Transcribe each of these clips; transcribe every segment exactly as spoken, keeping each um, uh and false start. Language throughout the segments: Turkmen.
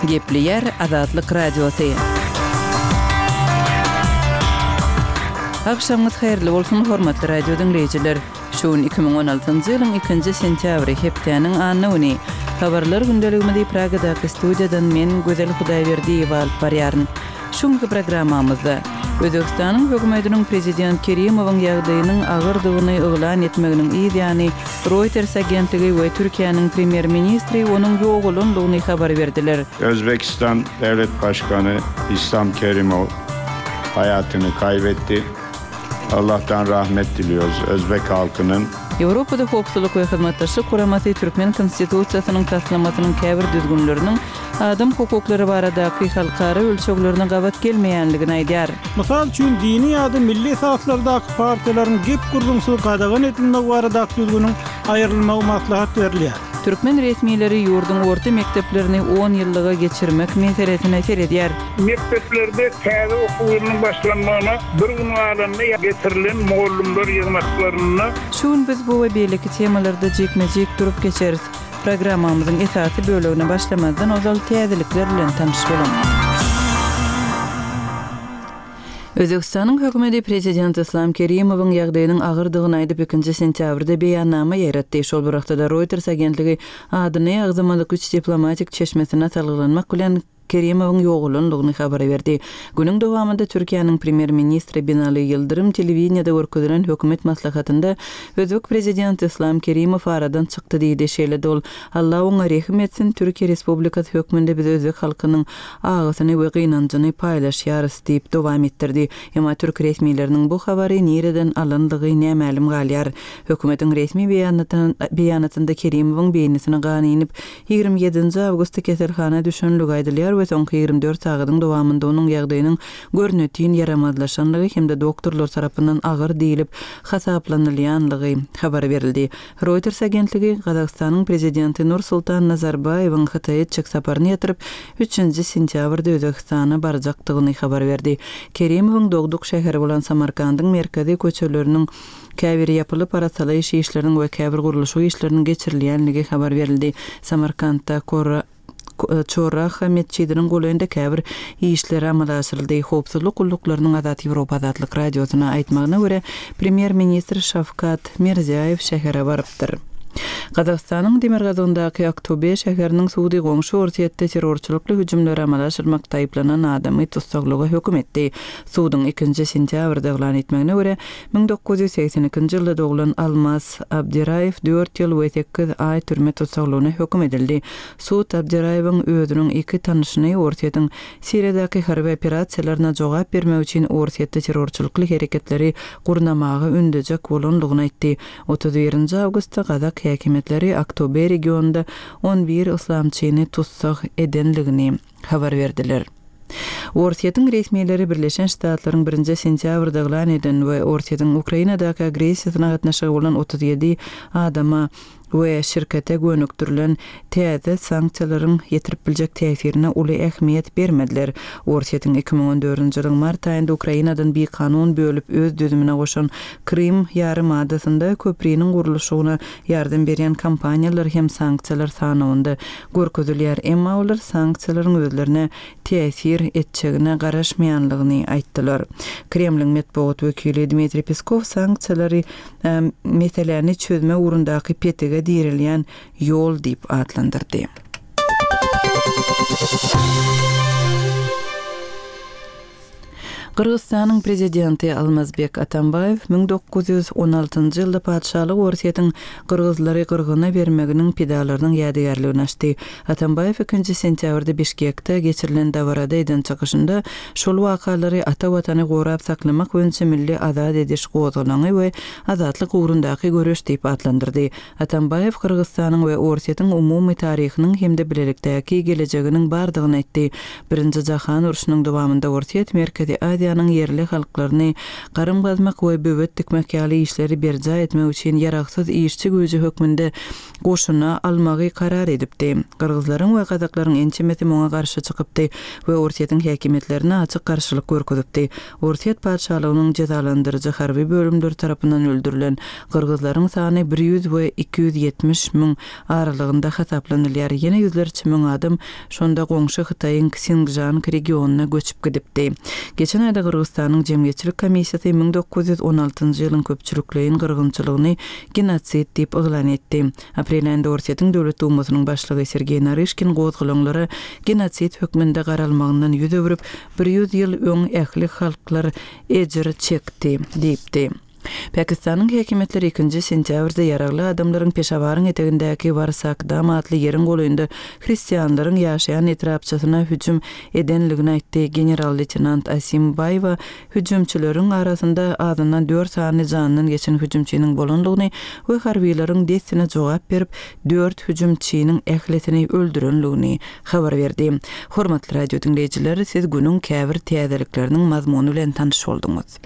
Gepleýär Azatlyk Radiosy. Agşamyňyz haýyrly bolsun, hormatly radio diňleýjiler! Şu gün iki müň on altynjy ýylyň ikinji sentýabry, hepdäniň anna güni. Habarlar gündeligimizi Pragadaky studiýadan men, Gözel Hudaýberdiýewa alyp barýaryn. Şu günki programmamyzda, Özbegistanyň hökümetiniň prezident Kerimowyň ýagdaýynyň agyrdygyny yglan etmeginiň yz ýany, Reuters agentligi we Türkiýäniň premýer-ministri onuň ýogalandygyny habar berdiler. Özbegistan Döwlet Başkany Islam Kerimow haýatyny kaýbetdi. Allahdan rahmet diliyoruz özbek halkynyň. Ýewropada Howpsuzlyk we Hyzmatdaşlyk Guramasy türkmen Konstitusiýasynyň taslamasynyň käbir düzgünleriniň adam hukuklary baradaky halkara ölçeglerine gabat gelmeýänligini aýdýar. Mysal üçin, dini ýa-da milli esaslardaky partiýalaryň gep-gürrüňsiz gadagan edilmegi baradaky düzgüniň aýrylmagy maslahat berilýär. Türkmen resmileri ýurduň orta mekdeplerini on ýyllyga geçirmek meselesine seredýär. Mekdeplerde täze okuw ýylynyň başlanmagyna bir gün galanda getirilen mugallymlar ýygnaklarynda. Şu gün biz bu we beýleki temalarda jikme-jik durup geçeris. Programmamyzyň esasy bölegine başlamazdan ozal täzelikler bilen tanyş boluň. Özbegistanyň hökümeti prezident Islam Kerimowyň ýagdaýynyň agyrdygyny aýdyp, ikinji sentýabrda beýannama ýaýratdy. Şol bir wagtda-da Reuters agentligi adyny agzamadyk üç diplomatik çeşmesine salgylanmak bilen Kerimowyň ýogalandygyny habar berdi. Günüň dowamynda Türkiýäniň premýer-ministri Binali Ýyldyrym telewideniýede görkezilen hökümet maslahatynda özbek prezidenti Islam Kerimow aradan çykdy diýdi. Şeýle-de ol, Alla oňa rehim etsin, Türkiýe Respublikasy hökmünde biz özbek halkynyň agysyny we gynanjyny paýlaşýarys diýip dowam etdirdi. Emma türk resmileriniň bu habary nireden alandygy nämälim galýar. Hökümetiň resmi beýanatynda Kerimowyň beýnisine gan inip, ýigrimi ýedinji awgustda keselhana düşenligi aýdylýar we soňky ýigrimi dört sagadyň dowamynda onuň ýagdaýynyň görnetin ýaramazlaşanlygy hem-de doktorlar tarapyndan agyr diýlip hasaplanylýanlygy habar berildi. Reuters agentligi Gazagystanyň prezidenti Nursultan Nazarbaýewiň Hytaýa etjek saparyny ýatyryp, üçünji sentýabrda Özbegistana barjakdygyny habar berdi. Kerimowyň dogduk şäheri bolan Samarkandyň merkezi köçeleriniň käbiri ýapylyp arassalaýyş işleriniň we käbir gurluşyk işleriniň geçirilýänligi habar berildi. Samarkantda Kora Çoraha metjidiniň golaýynda käbir işler amala aşyryldy. Howpsuzlyk gulluklarynyň Azat Ýewropa Azatlyk Radiosyna aýtmagyna görä, premýer-ministr Şawkat Mirziýaýew şähere barypdyr. Gazagystanyň demirgazygyndaky Aktobe şäheriniň sudy goňşy Orsýetde terrorçylykly hüjümleri amala aşyrmakda aýyplanan adamy tussaglyga höküm etdi. Suduň ikinji sentýabrda yglan etmegine görä, müň dokuz ýüz segsen ikinji ýylda doglan Almaz Abdiraýew dört ýyl we sekiz aý türme tussaglygyna höküm edildi. Sud Abdiraýewiň özüniň iki tanyşyny Orsýetiň Siriýadaky harby operasiýalaryna jogap bermek üçin Orsýetde terrorçylykly hereketleri gurnamaga ündejek bolandygyny aýtdy. Otuz birinji awgustda gazak häkimiýetleri Aktobe regionynda on bir yslamçyny tussag edenligini habar berdiler. Orsýetiň resmileri Birleşen Ştatlaryň birinji sentýabrda yglan eden we Orsýetiň Ukrainadaky agressiýasyna gatnaşygy bolan otuz ýedi adama we şirkete gönükdirilen täze sanksiýalaryň ýetirip biljek täsirine uly ähmiýet bermediler. Orsýetiň iki müň on dördünji ýylyň mart aýynda Ukrainadan bikanun bölüp öz düzümine goşan Krym ýarym adasynda köpriniň gurluşygyna ýardam berýän kompaniýalar hem sanksiýalar sanawynda görkezilýär. Emma olar sanksiýalaryň özlerine täsir etjegine garaşmaýanlygyny aýtdylar. Kremliň metbugat wekili Dmitriý Peskow sanksiýalary, e, meseläni çözme ugrundaky petige dirilýän ýol diýip atlandyrdy. Gyrgyzystanyň prezidenti Almazbek Atambaýew müň dokuz ýüz on altynjy ýylda patyşalyk Orsýetiň gyrgyzlary gyrgyna bermeginiň pidalarynyň ýadygärligini açdy. Atambaýew ikinji sentýabrda Bişkekde geçirilen dabarada eden çykyşynda şol wakalary ata watany gorap saklamak boýunça milli azat ediş gozgalaňy we azatlyk ugrundaky göreş diýip atlandyrdy. Atambaýew Gyrgyzystanyň we Orsýetiň umumy taryhynyň hem-de bilelikdäki gelejeginiň bardygyny aýtdy. Birinji Jahan urşunyň dowamynda Orsýet Merkezi Aziýanyň Aziýanyň ýerli halklaryny garym gazmak we böwet dikmek ýaly işleri berjaý etmek üçin ýaragsyz işçi güýji hökmünde goşuna almagy karar edipdi. Gyrgyzlaryň we gazaklaryň ençemesi muňa garşy çykypdy we Orsýetiň häkimiýetlerine açyk garşylyk görkezipdi. Orsýet patyşalygynyň jezalandyryjy harby bölümleri tarapyndan öldürilen gyrgyzlaryň sany bir ýüz we iki ýüz ýetmiş müň aralygynda hasaplanylýar. Ýene ýüzlerçe müň adam şonda goňşy Hytaýyň Ksingjang regionyna göçüp gidipdi. Geçen aýda Gyrgyzystanyň Jemgyýetçilik komissiýasy müň dokuz ýüz on altynjy ýylyň köpçülikleýin gyrgynçylygyny genosid diýip yglan etdi. Aprel aýynda Orsýetiň Döwlet Dumasynyň başlygy Sergeý Naryşkin gozgalaňlara genosid hökmünde garalmagyndan ýüz öwrüp, bir ýüz ýyl öň ähli halklar ejir çekdi diýipdi. Pakistanyň häkimiýetleri ikinji sentýabrda ýaragly adamlaryň Peşawaryň etegindäki Warsakdam atly ýeriň golaýynda hristianlaryň ýaşaýan etrapçasyna hüjüm edenligini aýtdy. General-leýtenant Asim Baýwa hüjümçileriň arasynda azyndan dört sany jandan geçen hüjümçiniň bolandygyny we harbylaryň dessine jogap berip, dört hüjümçiniň ählisini öldürenligini habar berdi. Hormatly radio diňleýjiler, siz günüň käbir täzelikleriniň mazmuny bilen tanyş bolduňyz.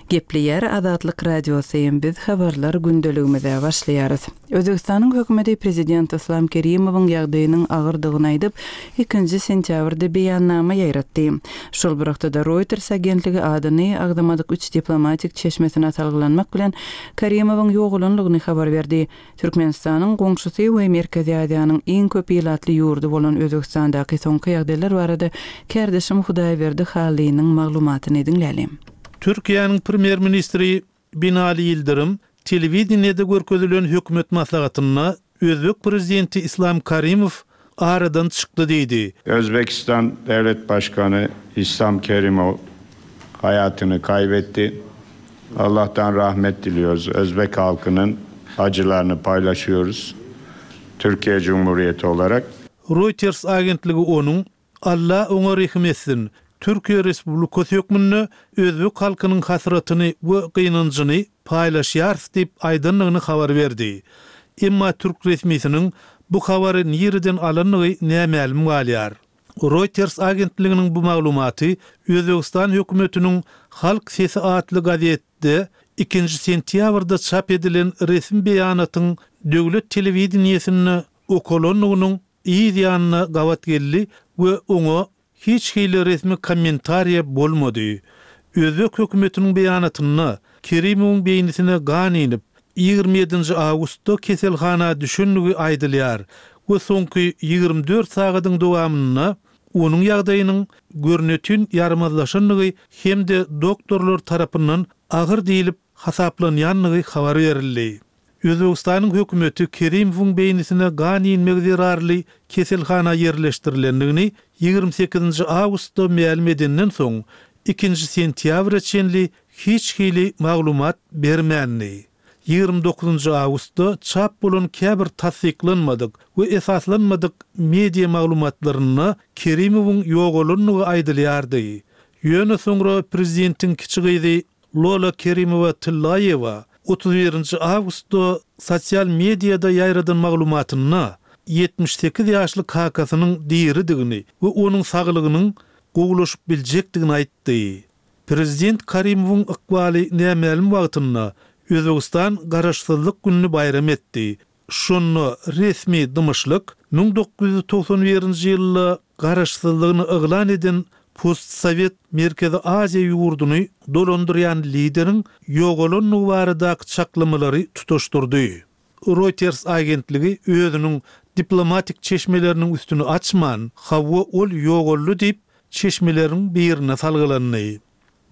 Gepleýär Azatlyk Radiosy, biz habarlar gündeligimize başlaýarys. Özbekistanyň hökümeti prezident Islam Kerimowyň ýagdaýynyň agyrdygyny aýdyp, ikinji sentýabrda beýannama ýaýratdy. Şol bir wagtda Reuters agentligi adyny agzamadyk üç diplomatik çeşmesine salgylanmak bilen Kerimowyň ýogalanlygyny habar berdi. Türkmenistanyň goňşusy we Merkezi Aziýanyň iň köp ilatly ýurdy bolan Özbekistandaky soňky ýagdaýlar barada kärdeşim Hudaýberdi Halynyň maglumatyny diňlälim. Türkiýäniň premýer-ministri Binali Ýyldyrym telewideniýede görkezilen hökümet maslahatynda Özbek prezidenti Islam Karimow aradan çykdy diýdi. Özbekistan Devlet Başkanı Islam Kerimov hayatını kaybetti. Allah'tan rahmet diliyoruz. Özbek halkının acılarını paylaşıyoruz. Türkiye Cumhuriyeti olarak. Reuters agentligi onuň Allah oňa rehim etsin. Türkiye Respublikasy hökmünde Özbek halkynyň hasratyny we gynanjyny paýlaşýarys diýip aýdanlygyny habar berdi. Emma türk resmisiniň bu habary nireden alandygy nämälim galýar. Reuters agentliginiň bu maglumaty Özbekistan hökümetiniň Halk Sesi atly gazetde ikinji sentýabrda çap edilen resmi beýanatyň döwlet telewideniýesinde okalandygynyň yz ýanyna gabat geldi we oňa hiç hili resmi kommentariýa bolmady. Özbek hökümetiniň beýanatynda Kerimowyň beýnisine gan inip, ýigrimi ýedinji awgustda keselhana düşenligi aýdylýar we soňky ýigrimi dört sagadyň dowamynda onuň ýagdaýynyň görnütün ýarmazlaşanlygy hem-de doktorlar tarapyndan agyr diýilip hasaplanýanlygy habar berildi. Özbekistanyň hökümeti Kerimowyň beýnisine gan inmegi zerarly keselhana ýerleşdirilendigini ýigrimi sekizinji awgustda mälim edenden soň ikinji sentýabra çenli hiç hili maglumat bermändi. Ýigrimi dokuzynjy awgustda çap bolan käbir tassyklanmadyk we esaslanmadyk media maglumatlarynda Kerimowyň ýogalanlygy aýdylýardy. Ýöne soňra prezidentiň kiçi gyzy Lola Kerimowa Tillaýewa otuz birinji awgustda sosial mediada ýaýradan maglumatynda ýetmiş sekiz ýaşly kakasynyň diridigini we onuň saglygynyň gowulaşyp biljekdigini aýtdy. Prezident Karimowyň ykbaly nämälim wagtynda Özbekistan garaşsyzlyk gününi baýram etdi. Şonda resmi dymyşlyk müň dokuz ýüz togsan birinji ýylda garaşsyzlygyny yglan eden postsowet Merkezi Aziýa ýurduny dolandyrýan lideriň ýogalanlygy baradaky çaklamalary tutaşdyrdy. Reuters agentligi özüniň diplomatik çeşmeleriniň üstüni açman, hawa ol ýogaldy diýip çeşmeleriň birine salgylandy.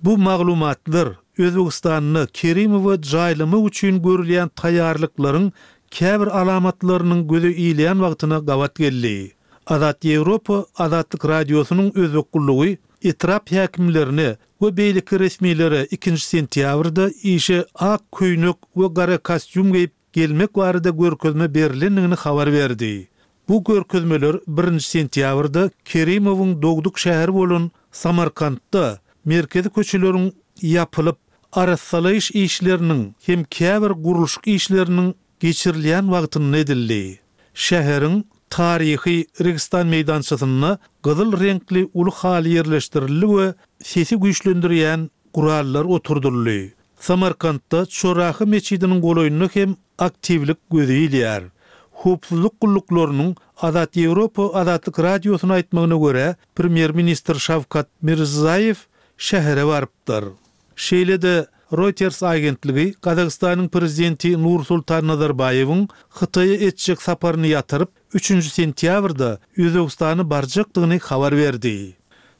Bu maglumatlar Özbekistanda Kerimowy jaýlamak üçin görülýän taýýarlyklaryň käbir alamatlarynyň göze ilýän wagtyna gabat geldi. Azat Ýewropa Azatlyk Radiosynyň Özbek gullugy etrap häkimlerine we beýleki resmilere ikinji sentýabrda işe ak köýnek we gara kostýum geýip gelmek barada görkezme berilendigini habar berdi. Bu görkezmeler birinji sentýabrda Kerimowyň dogduk şäheri bolan Samarkantda merkezi köçeleriň ýapylyp, arassalaýyş işleriniň hem käbir gurluşyk işleriniň geçirilýän wagtynda edildi. Şäheriň Taryhy Registan meýdançasynda gyzyl reňkli uly haly ýerleşdirildi we sesi güýçlendirýän gurallar oturdyldy. Samarkantda Çorahy metjidiniň golaýynda hem aktiwlik göze ilýär. Howpsuzlyk gulluklarynyň Azat Ýewropa Azatlyk Radiosyna aýtmagyna görä, Premýer-ministr Şawkat Mirziýoýew şähere barypdyr. Şeýle-de Reuters agentligi Gazagystanyň prezidenti Nursultan Nazarbaýewiň Hytaýa etjek saparyny ýatyryp, üçünji sentýabrda Özbegistana barjakdygyny habar berdi.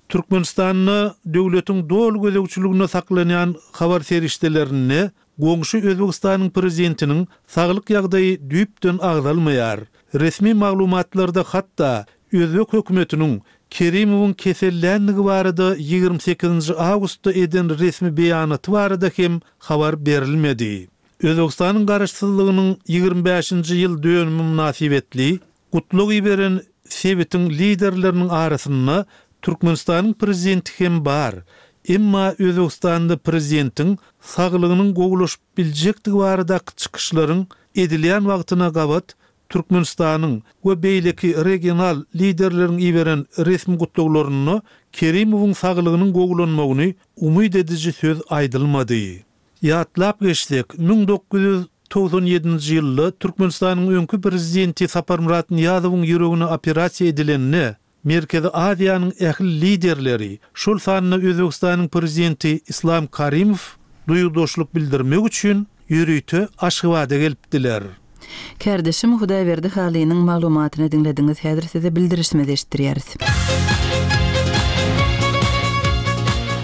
Türkmenistanda döwletiň doly gözegçiliginde saklanýan habar serişdelerinde goňşy Özbegistanyň prezidentiniň saglyk ýagdaýy düýpden agzalmaýar. Resmi maglumatlarda hatda Özbek hökümetiniň Kerimowyň kesellänligi barada ýigrimi sekizinji awgustda eden resmi beýanaty barada hem habar berilmedi. Özbegistanyň garaşsyzlygynyň ýigrimi bäşinji ýyl dönümi mynasybetli gutlag iberen sebitiň liderleriniň arasynda Türkmenistanyň prezidenti hem bar. Emma Özbegistanda prezidentiň saglygynyň gowulaşyp biljekdigi baradaky çykyşlaryň edilýän wagtyna gabat Türkmenistanyň we beýleki regional liderleriň iberen resmi gutlaglarynda Kerimowyň saglygynyň gowulanmagyny umyt ediji söz aýdylmady. Ýatlap geçsek, müň dokuz ýüz togsan ýedinji ýylda Türkmenistanyň öňki prezidenti Saparmyrat Nyýazowyň ýüregine operasiýa edilende Merkezi Aziýanyň ähli liderleri, şol sanda Özbegistanyň prezidenti Islam Karimow duýgudaşlyk bildirmek üçin ýörite Aşgabada gelipdiler. Kärdeşim Hudaýberdi Halynyň maglumatyny diňlediňiz. Häzir size bildirişimizi eşitdirýäris.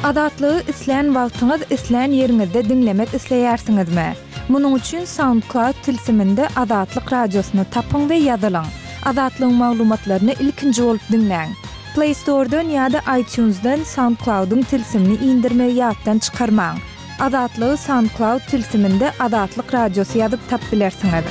Azatlygy islän wagtyňyz, islän ýeriňizde diňlemek isleýärsiňizmi? Munuň üçin SoundCloud tilsiminde Azatlyk radiosyny tapyň we ýazylyň. Azatlygyň maglumatlaryny ilkinji bolup diňläň. Play Store-dan ýa-da iTunes-dan SoundCloud-yň tilsimini indirmegi ýatdan çykarmaň. Azatlygy SoundCloud tilsiminde Azatlyk radiosy ýazyp tap bilersiňiz.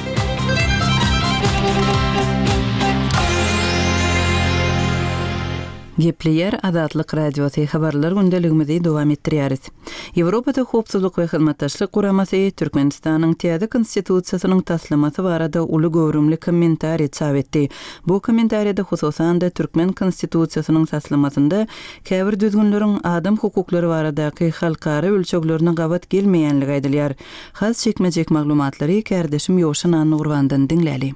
Gepleýär Azatlyk radiosy, habarlar gündeligimizi dowam etdirýäris. Ýewropada Howpsuzlyk we Hyzmatdaşlyk Guramasy Türkmenistanyň täze konstitusiýasynyň taslamasy barada uly göwrümli kommentariý çap etdi. Bu kommentariýada hususan-da Türkmen konstitusiýasynyň taslamasynda käbir düzgünleriň adam hukuklary baradaky halkara ölçeglerine gabat gelmeýänligi aýdylýar. Has çekmejek maglumatlary kärdeşim Ýowşan Annagurbandan diňläli.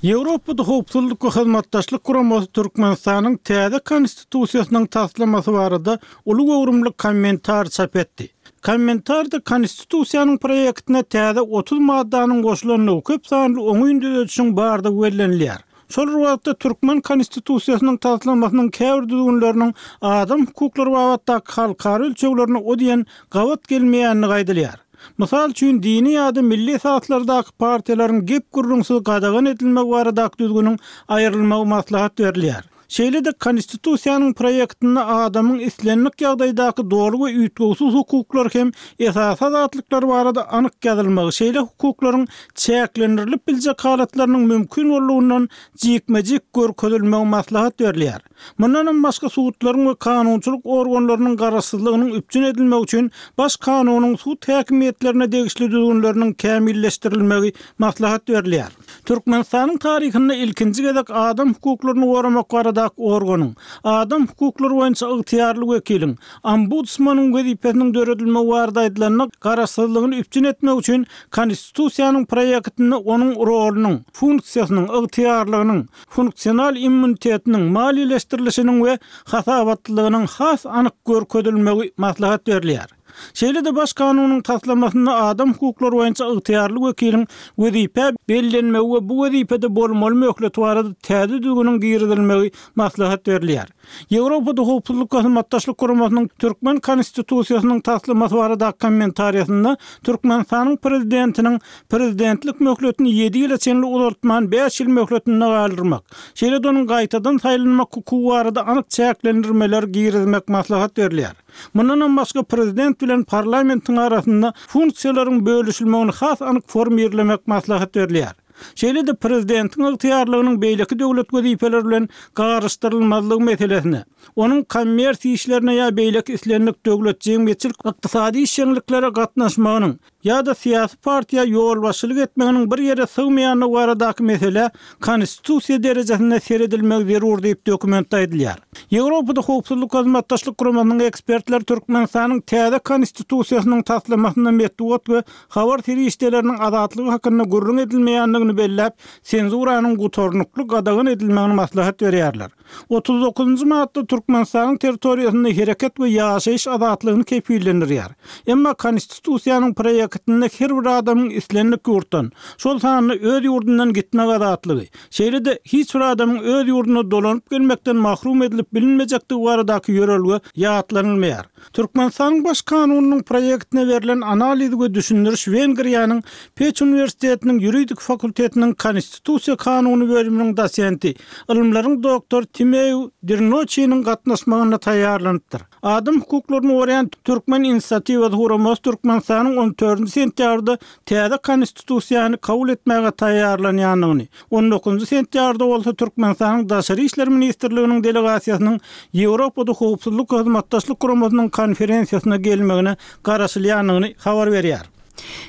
Ýewropada Howpsuzlyk we Hyzmatdaşlyk Guramasy Türkmenistanyň täze konstitusiýasynyň taslamasy barada uly göwrümli kommentar çap etdi. Kommentarda konstitusiýanyň proýektine täze otuz maddanyň goşulandygy köp sanly oňyn düzedişiň bardygy bellenilýär. Şol bir wagtda Türkmen konstitusiýasynyň taslamasynyň käbir düzgünleriniň adam hukuklary babatdaky halkara ölçeglerine o diýen gabat gelmeýändigi aýdylýar. Mysal üçin dini ýa-da milli esaslardaky partiýalaryň gep gürrüňsiz gadagan edilmegi baradaky düzgüniň aýrylmagy maslahat berilýär. Şeýle-de konstitusiýanyň proýektinde adamyň islendik ýagdaýdaky doly we üýtgewsiz hukuklar hem esasy azatlyklar barada anyk ýazylmagy, şeýle hukuklaryň çäklendirilip biljek halatlarynyň mümkin boldugynyň jikme-jik görkezilmegi maslahat berilýär. Mundan hem başga sudlaryň we kanunçylyk organlarynyň garaşsyzlygynyň üpjün edilmegi üçin baş kanunyň sud häkimiýetlerine degişli düzgünleriniň kämilleşdirilmegi maslahat berilýär. Türkmenistanyň taryhynda ilkinji gezek adam hukuklaryny goramak baradaky organyň, adam hukuklary boýunça ygtyýarly wekiliň, ombudsmanyň wezipesiniň döredilmegi barada aýdylanda garaşsyzlygyny üpjün etmek üçin konstitusiýanyň proýektinde onuň rolunyň, funksiýasynyň, ygtyýarlygynyň, funksional immunitetiniň, maliýeleşdirilişiniň we hasabatlylygynyň has anyk görkezilmegi maslahat berilýär. Şeýle-de baş kanunyň taslamasynda adam hukuklary boýunça ygtyýarly wekiliň wezipe bellenmegi we bu wezipede bolmaly möhleti barada täze düzgüniň girizilmegi maslahat berilýär. Ýewropada Howpsuzlyk we Hyzmatdaşlyk Guramasynyň Türkmen konstitusiýasynyň taslamasy baradaky kommentariýasynda Türkmenistanyň prezidentiniň prezidentlik möhletini ýedi ýyla çenli uzaltman bäş ýyl möhletinde galdyrmak, şeýle-de onuň gaýtadan saýlanmak hukugy barada anyk çäklendirmeler girizmek maslahat berilýär. Mundan hem başga prezident bilen parlamentiň arasynda funksiýalaryň bölüşilmegini has anyk formirlemek maslahat berilýär. Şeýle-de prezidentiň ygtyýarlygynyň beýleki döwlet wezipeleri bilen garyşdyrylmazlygy meselesine, onuň kommersiýa işlerine ýa beýleki islendik döwlet jemgyýetçilik ykdysady işjeňliklere gatnaşmagynyň ýa-da syýasy partiýa ýolbaşçylyk etmeginiň bir ýere sygmaýanlygy baradaky mesele konstitusiýa derejesinde seredilmegi zerur diýip dokumentde aýdylýar. Ýewropada Howpsuzlyk Hyzmatdaşlyk Guramasynyň ekspertleri Türkmenistanyň täze konstitusiýasynyň taslamasynda metbugat we habar serişdeleriniň azatlygy hakynda gürrüň edilmeýändigini belläp, senzuranyň gutarnykly gadagan edilmegini maslahat berýärler. Otuz dokuzynjy madda Türkmenistanyň territoriýasynda hereket we ýaşaýyş azatlygyny kepillendirýär. Emma konstitusiýanyň proýektinde her bir adamyň islendik ýurtdan, şol sanda öz ýurdundan gitmek azatlygy, şeýle-de hiç bir adamyň öz ýurduna dolanyp gelmekden mahrum edilip bilinmejekdigi baradaky ýörelge ýatlanylmaýar. Türkmenistanyň Baş kanunynyň proýektine berlen analiz we düşündiriş Wengriýanyň Peç uniwersitetiniň ýuridik fakultetiniň konstitusiýa kanuny bölüminiň dosenti, ylymlaryň doktory Timeu Dirnoçiniň gatnaşmagynda taýýarlanypdyr. Adam hukuklaryny goraýan Türkmen inisiatiwasy guramasy Türkmenistanyň on dördünji sentýabrda täze konstitusiýany kabul etmäge taýýarlanýandygyny, on dokuzynjy sentýabrda bolsa Türkmenistanyň Daşary işler ministrliginiň delegasiýasynyň Ýewropada Howpsuzlyk we Hyzmatdaşlyk Guramasynyň konferensiýasyna gelmegine garaşylýandygyny habar berýär.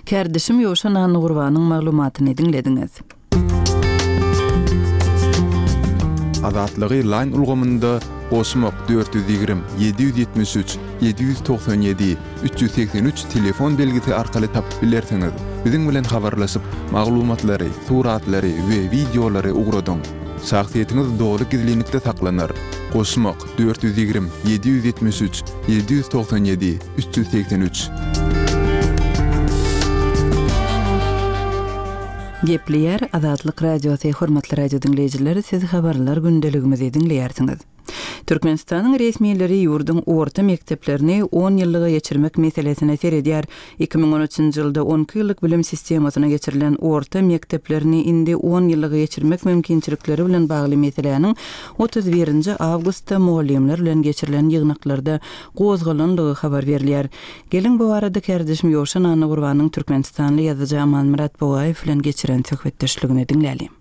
Kärdeşim Ýowşan Annagurbanyň maglumatyny diňlediňiz. Azatlygy Line ulgamynda goşmak dört ýüz ýigrimi, ýedi ýüz ýetmiş üç, ýedi ýüz togsan ýedi, üç ýüz segsen üç telefon belgisi arkaly tapyp bilersiňiz. Biziň bilen habarlaşyp, maglumatlary, suratlary we wideolary ugradyň. Şahsyýetiňiz doly gizlinlikde saklanar. Goşmak dört ýüz ýigrimi, ýedi ýüz ýetmiş üç, ýedi ýüz togsan ýedi, üç ýüz segsen üç. Gepleýär Azatlyk Radiosy, hormatly radio diňleýjiler, siz habarlar gündeligimizi diňleýärsiňiz. Türkmenistanyň resmileri ýurduň orta mekdeplerini on ýyllyga geçirmek meselesine seredýär. Iki müň on üçünji ýylda on iki ýyllyk bilim sistemasyna geçirilen orta mekdeplerini indi on ýyllyga geçirmek mümkinçilikleri bilen bagly meseläniň otuz birinji awgustda mugallymlar bilen geçirilen ýygnaklarda gozgalandygy habar berilýär. Geliň bu barada kärdeşim Ýowşan Annagurbanyň Türkmenistanly ýazyjy Amanmyrat Bugaýew bilen geçiren söhbetdeşligini diňlälim.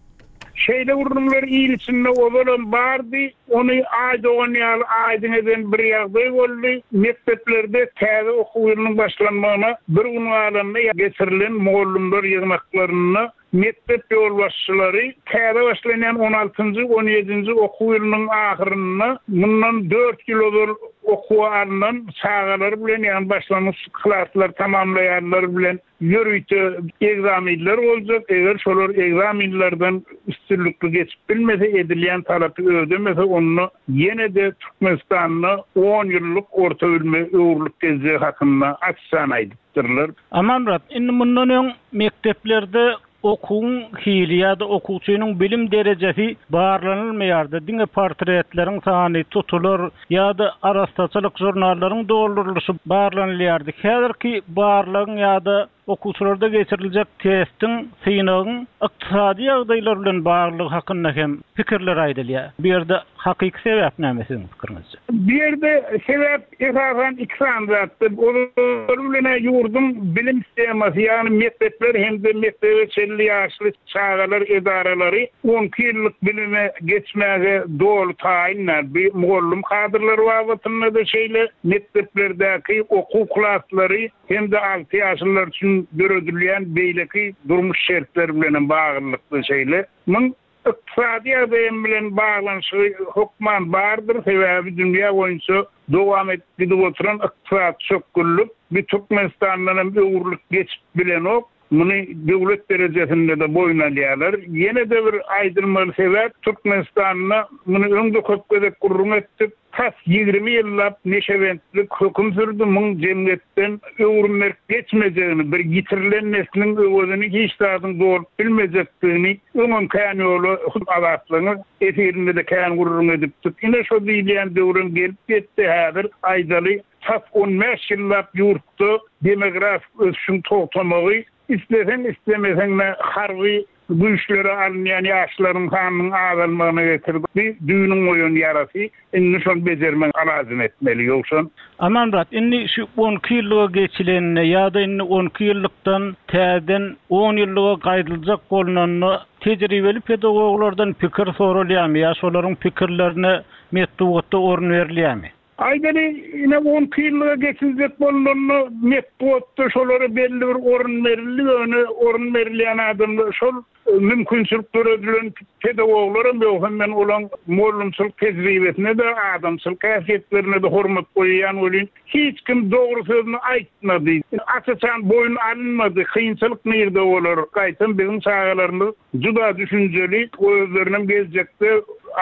Şeýle gürrüňler il içinde ozalam bardy, ony aý dogan ýaly aýdyň eden bir ýagdaý boldy. Mekdeplerde täze okuw ýylynyň başlanmagyna bir gün galanda geçirilen mugallymlar ýygnaklarynda mekdep ýolbaşçylary täze başlanýan on altynjy, on ýedinji okuw ýylynyň ahyrynda mundan dört ýyl ozal okuwa alnan çagalar bilen, ýagny başlangyç klaslar tamamlaýanlar bilen ýörite egzaminler boljak. Eger şolar egzaminlerden üstünlikli geçip bilmese, edilýän talapy ödemese, onda ýene-de Türkmenistanda on ýyllyk orta bilime öwrülip geljegi hakynda açyk aýdypdyrlar. Amanmyrat, indi mundan öň mekdeplerde okuwyň hili ýa-da okuwçynyň bilim derejesi barlanylmaýardy. Diňe portretleriň sany, tutular ýa-da arastaçylyk žurnallaryň doldurylyşy barlanylýardy. Häzirki barlagyň ýa-da okuwçylarda geçiriljek testiň, synagyň ykdysady ýagdaýlar bilen baglylygy hakynda hem pikirler aýdylýar. Bu ýerde hakyky sebäp näme siziň pikiriňizçe? Bu ýerde sebäp esasan iki sany zatdyr. Olar bilen ýurduň bilim sistemasy, ýagny mekdepler hem-de mekdebe çenli ýaşly çagalar edaralary on iki ýyllyk bilime geçmäge doly taýynlar. Bu mugallym kadrlar babatynda da şeýle mekdeplerdäki okuw klaslary hem-de alty ýaşlylar üçin döredilýän beýleki durmuş şertleri bilen baglylykda şeýle. Muň ykdysady ýagdaýym bilen baglanyşygy hökman bardyr. Sebäbi dünýä boýunça dowam edip gidip oturan ykdysady çökgünlik bir Türkmenistandan hem öwrülip geçip bilenok. Muny döwlet derejesinde de boýun alýarlar. Ýene-de bir aýdylmaly sebäp Türkmenistanda muny öňde köp gezek gürrüň etdik. Tas ýigrimi ýyllap neşebentlik höküm sürdü. Muň jemgyýetden öwrülmek geçmejegini, bir ýitirilen nesliň öwezini hiç zadyň dolup bilmejekdigini öňem kän ýola hut azatlygyň efirinde de kän gürrüň edipdik. Ine şo diýilýän döwrem gelip ýetdi. Häzir aýdaly tas on bäş ýyllap ýurtda demografik ösüşiň togtamagy, islesen islemesen de harby Güýçlere alynýan ýaşlaryň sanynyň azalmagyna getirdi. Düýnüň goýan ýarasy, indi şony bejermek alajyny etmeli ýogsa. Amanmyrat, indi şu on iki ýyllyga geçileninde ýa-da indi on iki ýyllykdan täzeden on ýyllyga gaýdyljak bolnanda tejribeli pedagoglardan pikir soralýarmy ýa şolaryň pikirlerine metbugatda orun berilýärmi? Aýdaly, ine on iki ýyllyga geçiljek bolnanda metbugatda şolara belli bir orun berildi, ýöne orun berilýän adamlar şol mümkinçilik döredilen pedagoglaram ýok, hem men olaň mugallymçylyk tejribesine-de, adamçylyk häsiýetlerine-de hormat goýýan welin, hiç kim dogry sözüni aýtmady. Aç-açan boýun alynmady, kynçylyk nirde bolar? Gaýtam biziň çagalarymyz juda düşünjeli, özlerinem geljekde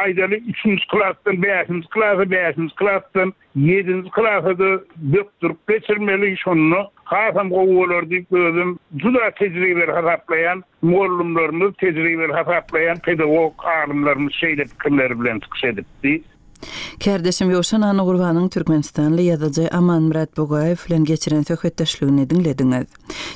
aýdaly üçünji klasdan bäşinji klasa, bäşinji klasdan ýedinji klasa-da bökdürip geçirmeli, şonda hasam gowy bolar diýip özüm juda tejribeli hasaplaýan mugallymlarymyz, tejribeli hasaplaýan pedagog alymlarymyz şeýle pikirler bilen çykyş edipdi. Kärdeşim Ýowşan Annagurbanyň Türkmenistanly ýazyjy Amanmyrat Bugaýew bilen geçiren söhbetdeşligini diňlediňiz.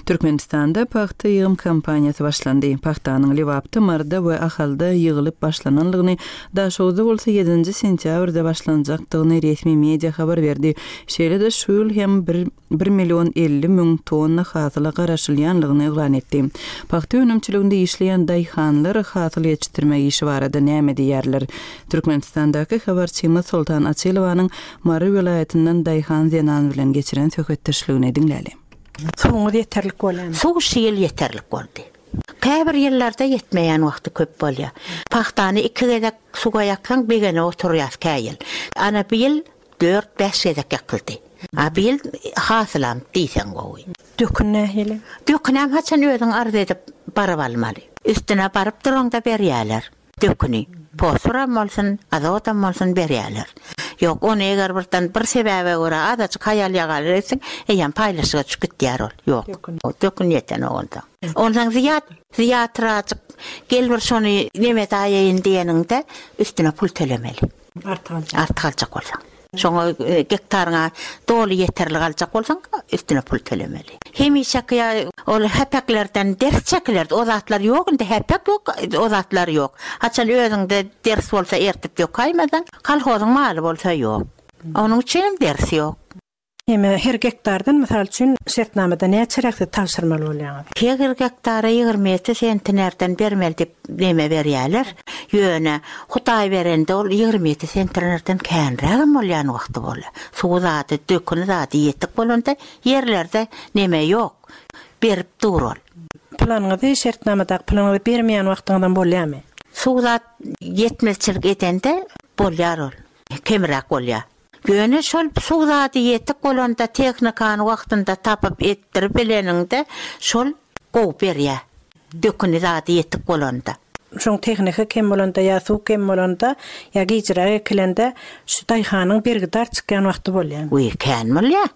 Türkmenistanda pagta ýygym kampaniýasy başlandy. Pagtanyň Lebapda, Maryda we Ahalda ýygylyp başlananlygyny, Daşoguzda bolsa ýedinji sentýabrda başlanjakdygyny resmi media habar berdi. Şeýle-de şu ýyl hem bir, bir million elli müň tonna hasyla garaşylýanlygyny yglan etdi. Pagta önümçiliginde işleýän daýhanlar hasyl ýetişdirme işi barada näme diýerler? Türkmenistandaky habarçymyz Soltan Açylowanyň Mary welaýatyndan daýhan zenan bilen geçiren söhbetdeşligini diňläli. Suwuňyz ýeterlik bolýarmy? Suw şu ýyl ýeterlik boldy. Käbir ýyllarda ýetmeýän wagty köp bolýar. Pagtany iki gezek suwa ýaksaň begene oturýar kä ýyl. Ana bu ýyl dört bäş gezek ýakyldy. A bu ýyl hasylam diýseň gowy. Dökün nähili? Dökünem haçan özüň arz edip baryp almaly. Üstüne baryp duraňda berýärler. Döküni fosforam bolsun, azotam bolsun berýärler. Ýok, ony eger birden bir sebäbe görä azajyk haýal ýagal etsin, eýem paýlaşyga çykyp gitýär ol. Ýok. Dökün. Dökün ýeten onda. Ondan zyýat, zyýatrajyk gel bir şony neme daýaýyn diýeniňde üstüne pul tölemeli. Artyk aljak. Artyk aljak bolsaň. Şoňa, e, gektaryňa doly ýeterli aljak bolsaň, üstüne pul tölemeli. Hemişeki ýa ol häpeklerden ders çekilerdi. O zatlar ýok, indi häpek ýok, o zatlar ýok. Haçan özüňde ders bolsa ertip ýokaýmasaň, kolhozyň maly bolsa ýok. Onuň üçin hem ders ýok. Heme her gektardan mysal üçin şertnamada näçe räkse tabşyrmaly bolýaňyz? Her gektara ýigrimi ýedi sentnerden bermeli diýip neme berýärler. Ýöne Hudaý berende ol ýigrimi ýedi sentnerden känrägem bolýan wagty bolýar. Suw zady, döküni zady ýetik bolanda ýerlerde neme ýok. Berip dur ol. Planyňyzy şertnamadaky planyňyzy bermeýän wagtyňyzdan bolýarmy? Suw zat ýetmezçilik edende bolýar ol. Kemräk bolýar. Ýöne şol suw zady ýetik bolanda tehnikany wagtynda tapyp etdirip bileniňde şol gowy berýär. Döküni zady ýetik bolanda. Şoň tehnika kem bolanda ýa suw kem bolanda ýa gijirä ekilende şu daýhanyň bergidar çykýan wagty bolýar. Uý, kän bolýar.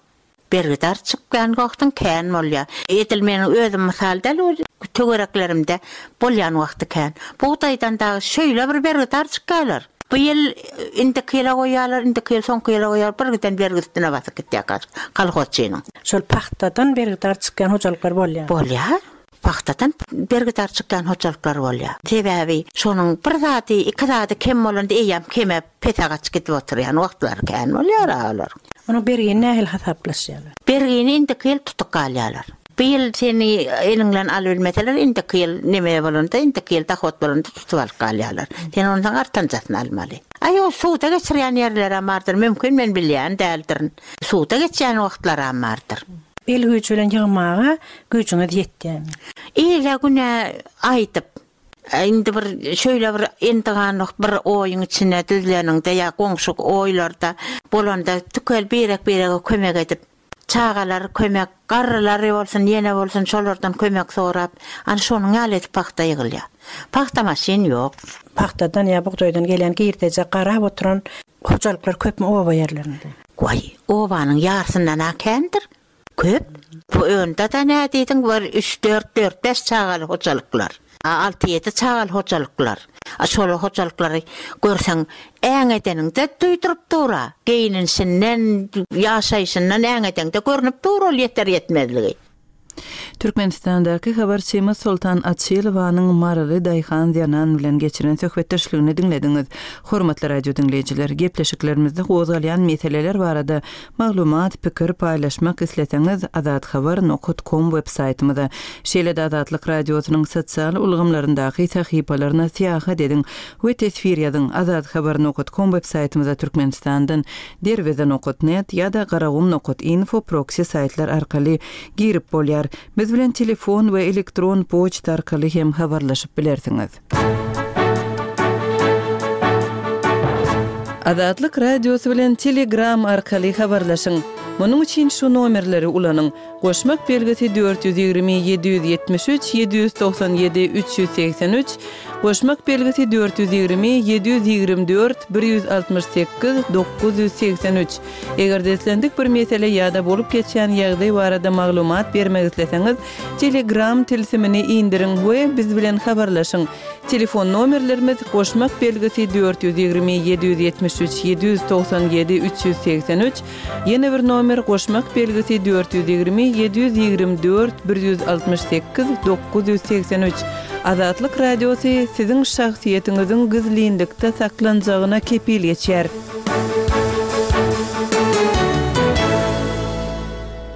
Bergidar çykýan wagtyň kän bolýar. Edil meniň özüm mysal däl, ol töwereklerimde bolýan wagty kän. Bugdaýdan dagy şeýle bir bergidar çykýarlar. Bu ýyl indiki ýyla goýýarlar, indiki ýyl soňky ýyla goýýarlar, bir giden bergi üstüne basyp gitýär kolhozçynyň. Şol pagtadan bergidar çykýan hojalyklar bolýar. Bolýar. Pagtadan bergidar çykýan hojalyklar bolýar. Sebäbi şonuň bir zady, iki zady kem bolanda eýýäm keme pese gaçyp gidip oturýan wagtlary kän bolýar olar. Onuň bergini nähili hasaplaşýarlar? Bergini indiki ýyl tutup galýarlar. Bu ýyl seni eliňden alyp bilmeseler, indiki ýyl neme bolanda, indiki ýyl dahot bolanda tutup alyp galýarlar. Sen ondan artanjasyny almaly. Aý, o suwda geçirýän ýerler hem bardyr, mümkin men bilýän däldirin. Suwda geçýän wagtlar hem bardyr. El güýji bilen ýygmaga güýjüňiz ýetýärmi? Ile güne aýdyp, indi bir şöyle bir endiganlyk bir oýuň içine düzleniňde ýa goňşy oýlarda bolanda tükel birek-birege kömek edip, çagalar kömek, garrylar bolsun, ýene bolsun şolardan kömek sorap, ana şonuň ýaly edip pagta ýygylýar. Pagta maşyn ýok. Pagtadan ýa bugdaýdan gelen girdeje garap oturan hojalyklar köpmi oba ýerlerinde? Goý, obanyň ýarysyndan kändir. Köp. Bu önde de ne diýdiň, bir üç, dört, dört, beş çagaly hojalyklar. A, alty, ýedi çagaly hojalyklar. A, şol hojalyklary görseň, äň edeniňde duýduryp dura. Geýinişinden, ýaşaýşyndan äň edeňde görnüp dur ol ýeter ýetmezligi. Türkmenistandaky habarçymyz Soltan Açylowanyň Maryly daýhan zenan bilen geçiren söhbetdeşligini diňlediňiz. Hormatly radio diňleýjiler, gepleşiklerimizde gozgalýan meseleler barada maglumat, pikir paýlaşmak isleseňiz azathabar.com web saýtymyza, şeýle-de Azatlyk radiosynyň sosial ulgamlaryndaky sahypalaryna syýahat ediň we teswir ýazyň. azathabar.com web saýtymyza Türkmenistandan derweze.net ýa-da garagum.info proxy saýtlar arkaly girip bolýar. Biz bilen telefon we elektron poçta arkaly hem habarlaşyp bilersiňiz. Azatlyk radiosy bilen Telegram arkaly habarlaşyň. Munuň üçin şu nomerleri ulanyň. Goşmak belgisi dört ýüz ýigrimi ýedi ýüz ýetmiş üç ýedi ýüz togsan ýedi üç ýüz segsen üç, goşmak belgisi dört ýüz ýigrimi ýedi ýüz ýigrimi dört bir ýüz altmyş sekiz dokuz ýüz segsen üç. Eger-de islendik bir mesele ýa-da bolup geçýän ýagdaý barada maglumat bermek isleseňiz, Telegram tilsimini indiriň we biz bilen habarlaşyň. Telefon nomerlerimiz goşmak belgisi dört ýüz ýigrimi ýedi ýüz ýetmiş üç ýedi ýüz togsan ýedi üç ýüz segsen üç, ýene bir nomer goşmak belgisi dört ýüz ýigrimi ýedi ýüz ýigrimi dört bir ýüz altmyş sekiz dokuz ýüz segsen üç. Azatlyk radiosy siziň şahsyýetiňiziň gizlinlikde saklanjagyna kepil geçýär.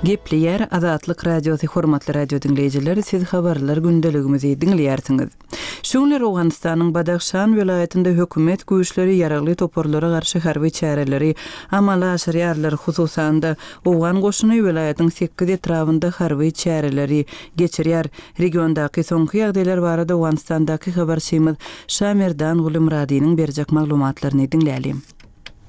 Gepleýär Azatlyk radiosy hormatly radio diňleýjiler, siz habarlar gündeligimizi diňleýärsiňiz. Şu günler Owganystanyň Badahşan welaýatynda hökümet güýçleri ýaragly toparlara garşy harby çäreleri amala aşyrýarlar. Hususan-da Owgan goşuny welaýatyň sekiz etrabynda harby çäreleri geçirýär. Regiondaky soňky ýagdaýlar barada Owganystandaky habarçymyz Şamerdan Gulumradynyň berjek maglumatlaryny diňlälim.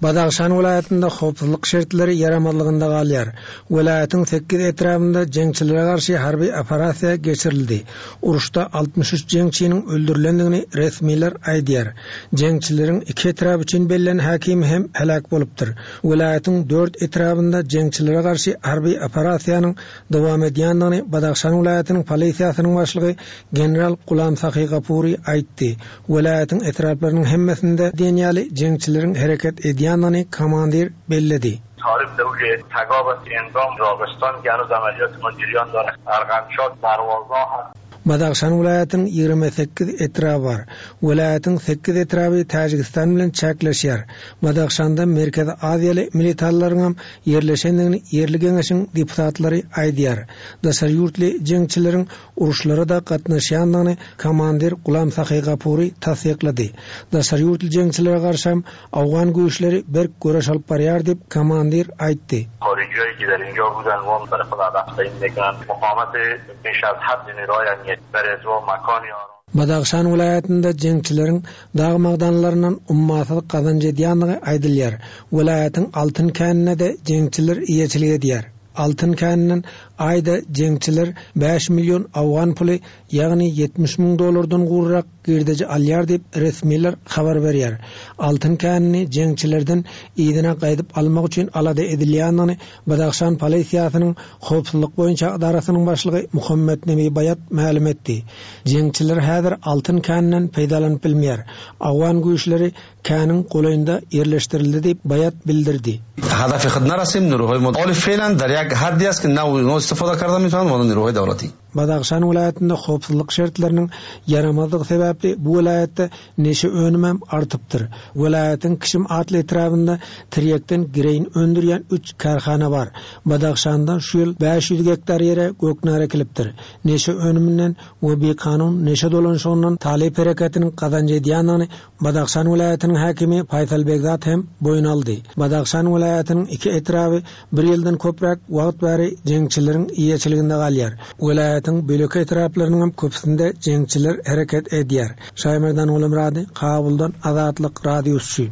Badahşan welaýatynda howpsuzlyk şertleri ýaramazlygynda galýar. Welaýatyň sekiz etrabynda jeňçilere garşy harby operasiýa geçirildi. Uruşda altmyş üç jeňçiniň öldürilendigini resmiler aýdýar. Jeňçileriň iki etrap üçin bellenen häkimi hem heläk bolupdyr. Welaýatyň dört etrabynda jeňçilere garşy harby operasiýanyň dowam edýändigini Badahşan welaýatynyň polisiýasynyň başlygy general Gulam Sahi Gapuri aýtdy. Welaýatyň etraplarynyň hemmesinde diýen ýaly jeňçileriň hereket edýändigini komandir belledi. Tarif döwle Tagabat Endam Ragıstan gänuz ameliyat mojiriyan dara Argançat Darwaza Badahşan welaýatynyň ýigrimi sekiz etraby bar. Welaýatyň sekiz etraby Täjigistan bilen çäkleşýär. Badahşanda Merkezi Aziýaly militarlaryň hem ýerleşendigini ýerli geňeşiň deputatlary aýdýar. Daşary ýurtly jeňçileriň uruşlara da gatnaşýandygyny komandir Gulam Sahi Gapuri tassyklady. Daşary ýurtly jeňçilere garşy hem Awgan güýçleri berk göreş alyp barýar diýip komandir aýtdy. Harijiy ki در اینجا بودن و برای خود هدف تعیین میکنن. مقاومت بیش از حد نیروهای امنیتی بر از و مکانی آرام. Badahşan welaýatynda jeňçileriň dag magdanlaryndan ummasyz gazanç edýänligi aýdylýar. Welaýatyň altyn känine de jeňçiler eýeçilik edýär. Altyn käninden aýda jeňçiler bäş million awgan puly, ýagny ýetmiş müň dollardan gurrak girdeji alýar diýip resmiler habar berýär. Altyn känini jeňçilerden ýygyna gaýdyp almak üçin alada edilýänini Badahşan polisiýasynyň howpsuzlyk boýunça idarasynyň başlygy Muhammed Nemi Bayat mälim etdi. Jeňçiler häzir altyn käninden peýdalanyp bilmeýär. Awgan güýçleri käniň golaýynda ýerleşdirildi diýip Bayat bildirdi. Hadafi خود نرسیم نیروهای ما حال فعلا در یک حدی است که نه اونا استفاده کرده میتونن و نه نیروهای دولتی. Badahşan welaýatynda howpsuzlyk şertleriniň ýaramazlygy sebäpli bu welaýatda neşe önümi hem artypdyr. Welaýatyň Kişim atly etrabynda tirýekden gireýin öndürýän üç kärhana bar. Badahşanda şu ýyl bäş ýüz gektar ýere göknar ekilipdir. Neşe önüminden we bikanun neşe dolanşygyndan talyp hereketiniň gazanç edýändigini Badahşan welaýatynyň häkimi Faýsal Begzat hem boýun aldy. Badahşan welaýatynyň iki etraby bir ýyldan köpräk wagt bäri jeňçileriň eýeçiliginde galýar. Welaýatyň bölek etraplarynyň hem köpüsinde jeňçiler hereket edýär. Şaýmerdan Gulumrady, Kabuldan Azatlyk radiosy.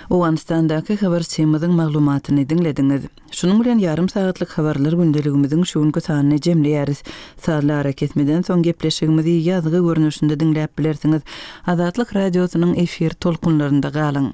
Owganystandaky habarçymyzyň maglumatyny diňlediňiz. Şunuň bilen ýarym sagatlyk habarlar gündeligimiziň şu günki sanyny jemleýäris. Sazly ara kesmeden soň gepleşigimizi ýazgy görnüşinde diňläp bilersiňiz. Azatlyk radiosynyň efir tolkunlarynda galyň.